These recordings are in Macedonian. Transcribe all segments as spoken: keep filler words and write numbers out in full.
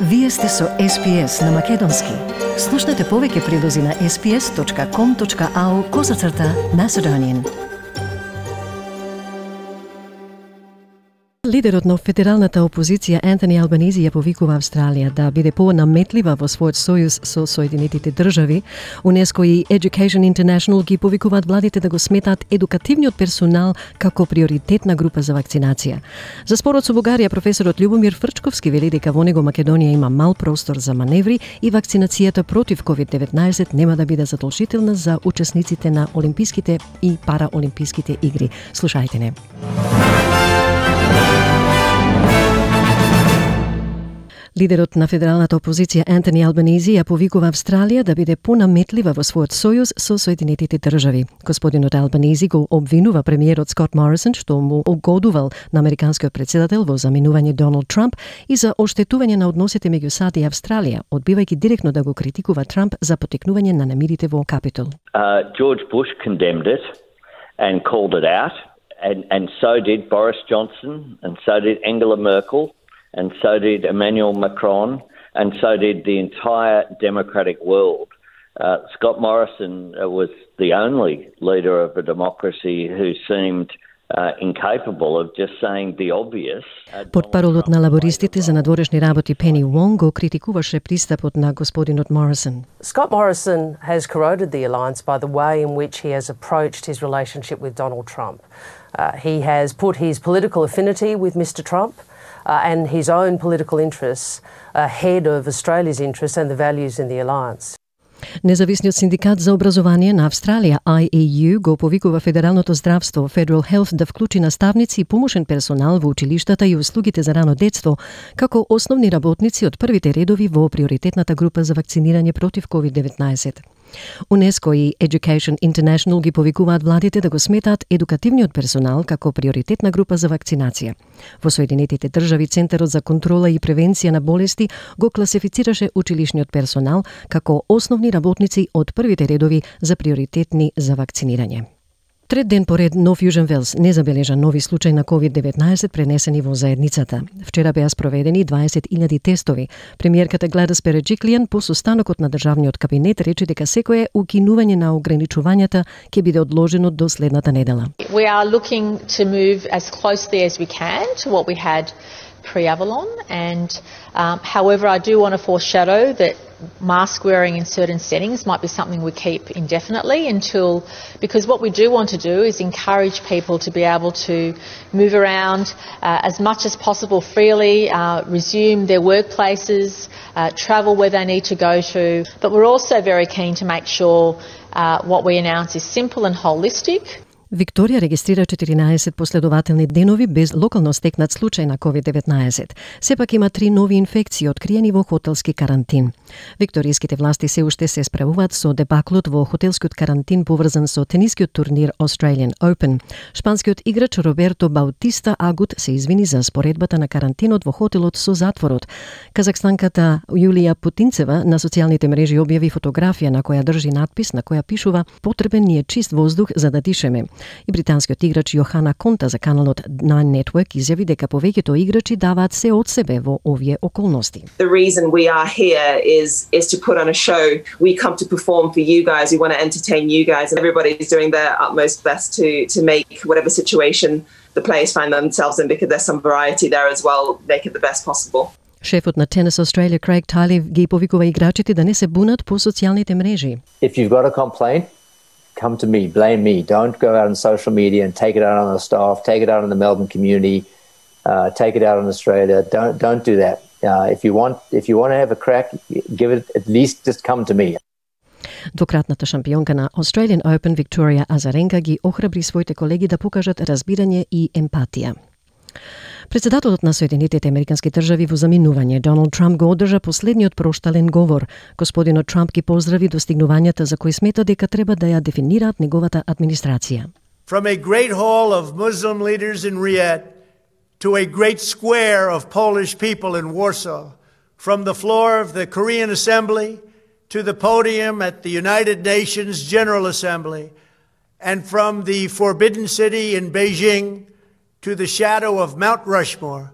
Вие сте со Ес Пи Ес на Македонски. Слушнете повеќе прилози на ес пи ес точка ком точка ау козацрта Macedonian. Лидерот на федералната опозиција Антони Албанизи ја повикува Австралија да биде понаметлива во својот сојуз со Соединетите држави. УНЕСКО и Education International ги повикуваат владите да го сметаат едукативниот персонал како приоритетна група за вакцинација. За спорот со Бугарија, професорот Љубомир Фрчковски вели дека во него Македонија има мал простор за маневри и вакцинацијата против ковид деветнаесет нема да биде задолжителна за учесниците на олимписките и параолимписките игри. Слушајте не. Лидерот на федералната опозиција Антони Албанизи ја повикува Австралија да биде понаметлива во својот сојуз со Соединетите држави. Господинот Албанизи го обвинува премиерот Скот Морисон што му угодувал на американскиот председател во заминување Доналд Трамп и за оштетување на односите меѓу САД и Австралија, одбивајќи директно да го критикува Трамп за потекнување на немирите во Капитол. Uh, George Bush condemned it and called it out, and, and so did Boris Johnson, and so did Angela Merkel, and so did Emmanuel Macron, and so did the entire democratic world. Uh, Scott Morrison uh, was the only leader of a democracy who seemed uh, incapable of just saying the obvious. Портпаролот на лабористите за надворешни работи Пени Вонг го критикуваше пристапот на господинот Morrison. Scott Morrison has corroded the alliance by the way in which he has approached his relationship with Donald Trump. Uh, he has put his political affinity with Mister Trump Uh, and his own political interests ahead of Australia's interests and the values in the alliance. Независниот синдикат за образование на Австралија Ай Ей Ю го повикува федералното здравство Federal Health да вклучи наставници и помошен персонал во училиштата и услугите за рано детство како основни работници од првите редови во приоритетната група за вакцинирање против ковид деветнаесет. УНЕСКО и Education International ги повикуваат владите да го сметаат едукативниот персонал како приоритетна група за вакцинација. Во Соединетите држави Центарот за контрола и превенција на болести го класифицираше училишниот персонал како основни работници од првите редови за приоритетни за вакцинирање. Трет ден поред Нов Јужен Велс не забележа нови случаи на ковид деветнаесет пренесени во заедницата. Вчера беа спроведени дваесет илјади тестови. Премиерката Гледис Береџиклијан по состанокот на државниот кабинет рече дека секое укинување на ограничувањата ќе биде одложено до следната недела. We are looking to move as closely as we can to what we had pre-Avalon, and um, however I do want to foreshadow that mask wearing in certain settings might be something we keep indefinitely until, because what we do want to do is encourage people to be able to move around uh, as much as possible freely, uh, resume their workplaces, uh, travel where they need to go to, but we're also very keen to make sure uh, what we announce is simple and holistic. Викторија регистрира четиринаесет последователни денови без локално стекнат случај на ковид деветнаесет. Сепак има три нови инфекции откриени во хотелски карантин. Викторијските власти се уште се справуваат со дебаклот во хотелскиот карантин поврзан со тенискиот турнир Australian Open. Шпанскиот играч Роберто Баутиста Агут се извини за споредбата на карантинот во хотелот со затворот. Казахстанката Јулија Путинцева на социјалните мрежи објави фотографија на која држи надпис на која пишува "Потребен ни е чист воздух за да дишеме". И британскиот играч Јохана Конта за каналот Nine Network изјави дека повеќето играчи даваат се од себе во овие околности. The reason we are here is is to put on a show. We come to perform for you guys. We want to entertain you guys, and everybody's doing their utmost best to to make whatever situation the players find themselves in, because there's some variety there as well, make it the best possible. Шефот на Tennis Australia Craig Tiley ги повикува играчите да не се бунат по социјалните мрежи. If you've got a complaint, come to me, blame me. Don't go out on social media and take it out on the staff, take it out on the Melbourne community, uh, take it out on Australia. Don't don't do that. Uh, if you want if you want to have a crack, give it at least just come to me. Двократната шампионка на Australian Open Викторија Азаренка ги охрабри своите колеги да покажат разбирање и емпатија. Председателот на Соединетите Американски држави во заминување Доналд Трамп го одржа последниот проштален говор. Господинот Трамп ги поздрави достигнувањата за кои смета дека треба да ја дефинираат неговата администрација. From a great hall of Muslim leaders in Riyadh to a great square of Polish people in Warsaw, from the floor of the Korean Assembly to the podium at the United Nations General Assembly, and from the Forbidden City in Beijing to the shadow of Mount Rushmore,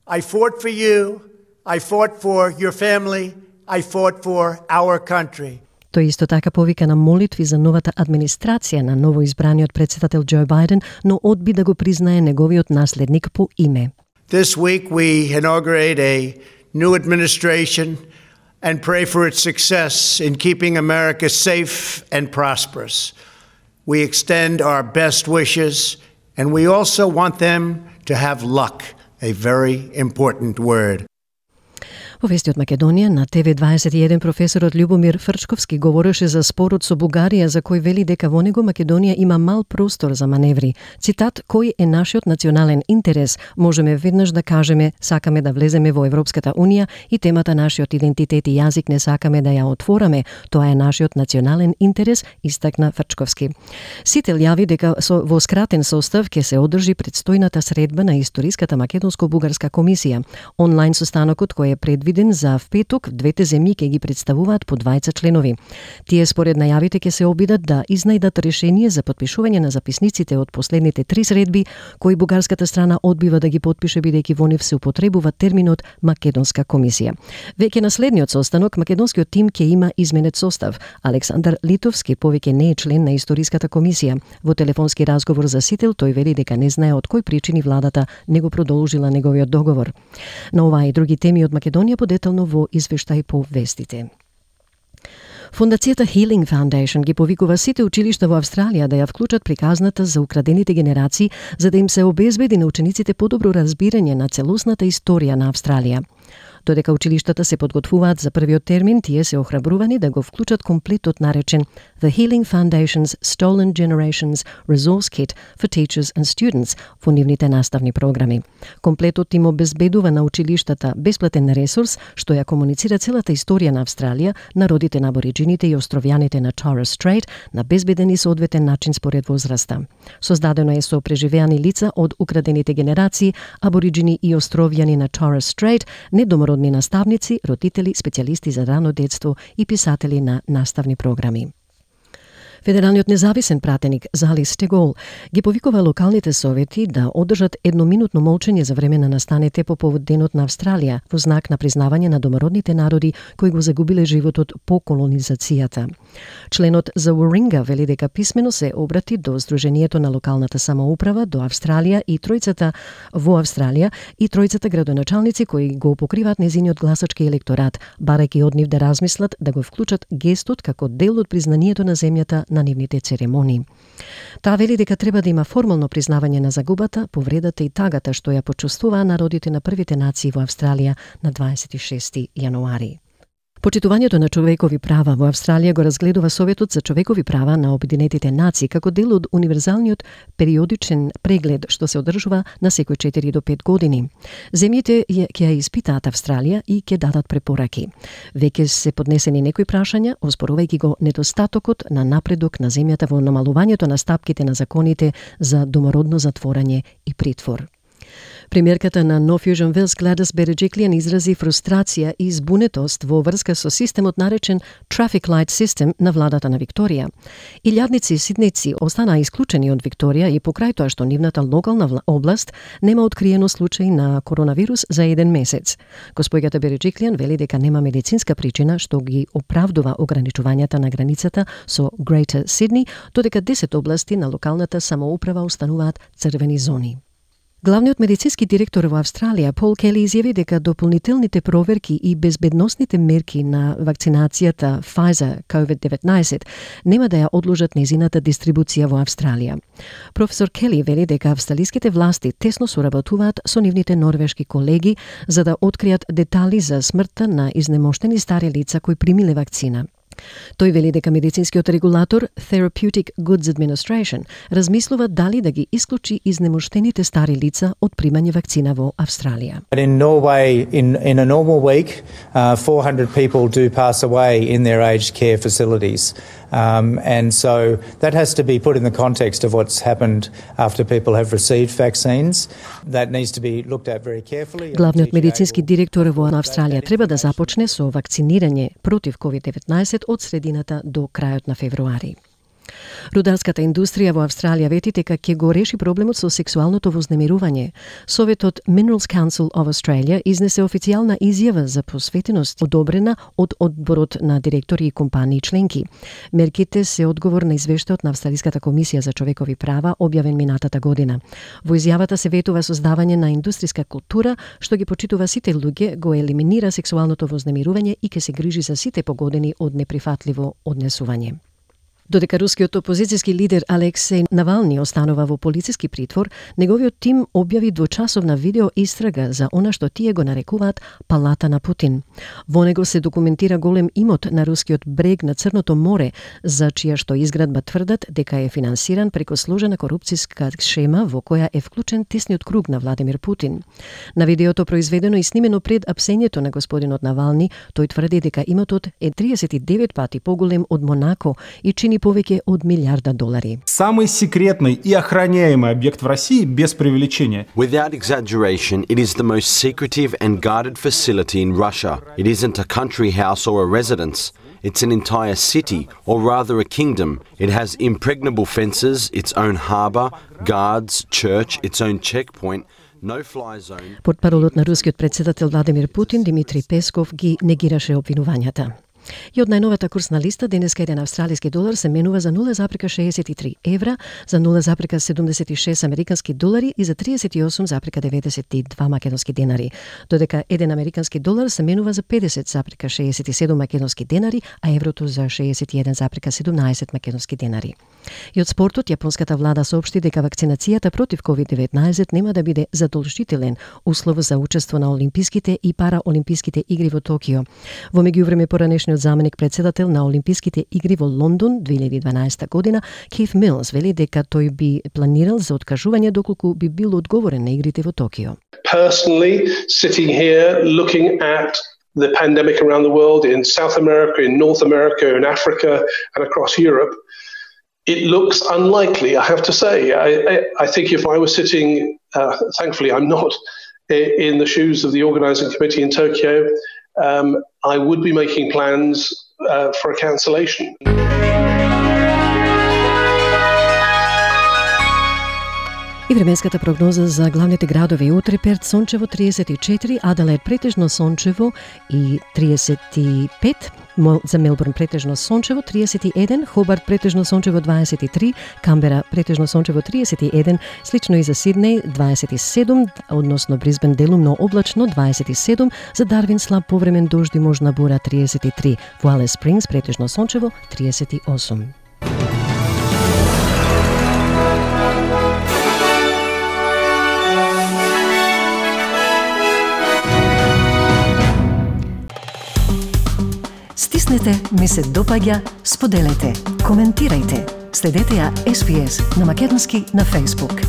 I fought for you, I fought for your family. I fought for our country. Тој исто така повика на молитви за новата администрација на новоизбраниот председател Џо Бајден, но одби да го признае неговиот наследник по име. This week we inaugurate a new administration and pray for its success in keeping America safe and prosperous. We extend our best wishes, and we also want them to have luck, a very important word. Во вести од Македонија на Т В дваесет и еден професорот Љубомир Фрчковски говореше за спорот со Бугарија, за кој вели дека во него Македонија има мал простор за маневри. Цитат: "Кој е нашиот национален интерес? Можеме веднаш да кажеме, сакаме да влеземе во Европската унија и темата нашиот идентитет и јазик не сакаме да ја отвораме. Тоа е нашиот национален интерес", истакна Фрчковски. Сител јави дека со во скратен состав ќе се одржи предстојната средба на историската македонско-бугарска комисија. Онлайн состанокот кој е предвиден за впеток, двете земји ќе ги представуваат по дваесет членови. Тие според најавите ќе се обидат да изнајдат решение за потпишување на записниците од последните три средби, кои бугарската страна одбива да ги потпише бидејќи во нив се употребува терминот Македонска комисија. Веќе на следниот состанок македонскиот тим ќе има изменет состав. Александар Литовски повеќе не е член на историската комисија. Во телефонски разговор за Сител тој вели дека не знае од кои причини владата не го продолжила неговиот договор. На оваа и други теми од Македонија подетално во извештај по вестите. Фондацијата Healing Foundation ги повикува сите училишта во Австралија да ја вклучат приказната за украдените генерации, за да им се обезбеди на учениците подобро разбирање на целосната историја на Австралија. Додека училиштата се подготвуваат за првиот термин, тие се охрабрувани да го вклучат комплетот наречен The Healing Foundation's Stolen Generations Resource Kit for Teachers and Students во нивните наставни програми. Комплетот им обезбедува на училиштата бесплатен ресурс што ја комуницира целата историја на Австралија, народите на абориџините и островјаните на Torres Strait на безбеден и соодветен начин според возраста. Создадено е со преживеани лица од украдените генерации, абориџини и островјани на Torres Strait, недомородни наставници, родители, специјалисти за рано детство и писатели на наставни програми. Федералниот независен пратеник Зали Стегол ги повикува локалните совети да одржат едноминутно молчење за време на настаните по повод Денот на Австралија во знак на признавање на домородните народи кои го загубиле животот по колонизацијата. Членот за Warringah вели дека писмено се обрати до Сдруженијето на локалната самоуправа до Австралија и тројцата во Австралија и тројцата градоначалници кои го покриваат незиниот гласачки електорат, барајќи од нив да размислат да го вклучат гестот како дел од признанието на земјата на нивните церемонии. Таа вели дека треба да има формално признавање на загубата, повредата и тагата што ја почувствуваа народите на првите нации во Австралија на дваесет и шести јануари. Почитувањето на човекови права во Австралија го разгледува Советот за човекови права на Обединетите нации како дел од универзалниот периодичен преглед што се одржува на секој четири до пет години. Земјите ќе ја испитаат Австралија и ќе дадат препораки. Веќе се поднесени некои прашања, оспорувајќи го недостатокот на напредок на земјата во намалувањето на стапките на законите за домородно затворање и притвор. Премиерката на No Fusion Wales Gladys Berejiklian изрази фрустрација и збунетост во врска со системот наречен Traffic Light System на владата на Викторија. Илјадници сиднејци останаа исклучени од Викторија и покрај тоа што нивната локална област нема откриено случај на коронавирус за еден месец. Госпојката Береджиклиан вели дека нема медицинска причина што ги оправдува ограничувањата на границата со Greater Sydney, додека десет области на локалната самоуправа остануваат црвени зони. Главниот медицински директор во Австралија, Пол Кели, изјави дека дополнителните проверки и безбедносните мерки на вакцинацијата Pfizer ковид деветнаесет нема да ја одложат незината дистрибуција во Австралија. Професор Кели вели дека австралиските власти тесно соработуваат со нивните норвешки колеги за да откријат детали за смртта на изнемоштени стари лица кои примиле вакцина. Тој вели дека медицинскиот регулатор Therapeutic Goods Administration размислува дали да ги исклучи изнемоштените стари лица од примање вакцина во Австралија. In Norway, in, in a normal week, uh, four hundred people do pass away in their aged care facilities. Um, and so that has to be put in the context of what's happened after people have received vaccines. That needs to be looked at very carefully. Главниот медицински директор во Австралија треба да започне со вакцинирање против ковид деветнаесет од средината до крајот на февруари. Рударската индустрија во Австралија вети дека ќе го реши проблемот со сексуалното вознемирување. Советот Minerals Council of Australia изнесе официјална изјава за посветеност одобрена од одборот на директори и компании членки. Мерките се одговор на извештајот на Австралиската комисија за човекови права објавен минатата година. Во изјавата се ветува создавање на индустријска култура што ги почитува сите луѓе, го елиминира сексуалното вознемирување и ќе се грижи за сите погодени од неприфатливо однесување. Додека рускиот опозицијски лидер Алексеј Навални останува во полициски притвор, неговиот тим објави двочасовна видео истрага за она што тие го нарекуваат палата на Путин. Во него се документира голем имот на рускиот брег на Црното море, за чија што изградба тврдат дека е финансиран преку сложена корупцијска шема во која е вклучен тесниот круг на Владимир Путин. На видеото произведено и снимено пред апсењето на господинот Навални, тој тврди дека имотот е триесет и девет пати поголем од Монако и чини повеќе од милиарда долари. Самый секретный и охраняемый объект в России без преувеличения. Without exaggeration, it is the most secretive and guarded facility in Russia. It isn't a country house or a residence. It's an entire city, or rather a kingdom. It has impregnable fences, its own harbour, guards, church, its own checkpoint. No fly zone. Портпаролот на рускиот претседател Владимир Путин, Димитри Песков, ги негираше обвинувањата. И од најновата курсна листа, денеска еден австралиски долар се менува за нула запрека шеесет и три евра, за нула запрека седумдесет и шест американски долари и за триесет и осум запрека деветдесет и два македонски денари, додека еден американски долар се менува за педесет запрека шеесет и седум македонски денари, а еврото за шеесет и еден запрека седумнаесет македонски денари. И од спортот, јапонската влада соопшти дека вакцинацијата против ковид деветнаесет нема да биде задолжителен услов за учество на Олимписките и Параолимписките игри во Токио. Во меѓувреме, поранешниот заменик председател на Олимписките игри во Лондон две илјади и дванаесета година, Кейт Милс, вели дека тој би планирал за откажување доколку би бил одговорен на игрите во Токио. Personally, sitting here looking at the pandemic around the world in South America, in North America, in Africa and across Europe, it looks unlikely, I have to say. I, I, I think if I was sitting, uh, thankfully I'm not, in the shoes of the organising committee in Tokyo, um, I would be making plans uh, for a cancellation. И временската прогноза за главните градови утре: Перт сончево триесет и четири, Аделаид претежно сончево и триесет и пет, за Мелбурн претежно сончево триесет и еден, Хобарт претежно сончево дваесет и три, Камбера претежно сончево триесет и еден, слично и за Сиднеј дваесет и седум, односно Брисбен делумно облачно дваесет и седум, за Дарвин слаб повремен дожд и можна бура триесет и три, во Алис Спрингс претежно сончево триесет и осум. Стиснете, ми се допаѓа, споделете, коментирајте. Следете ја Ес Би Ес на македонски на Facebook.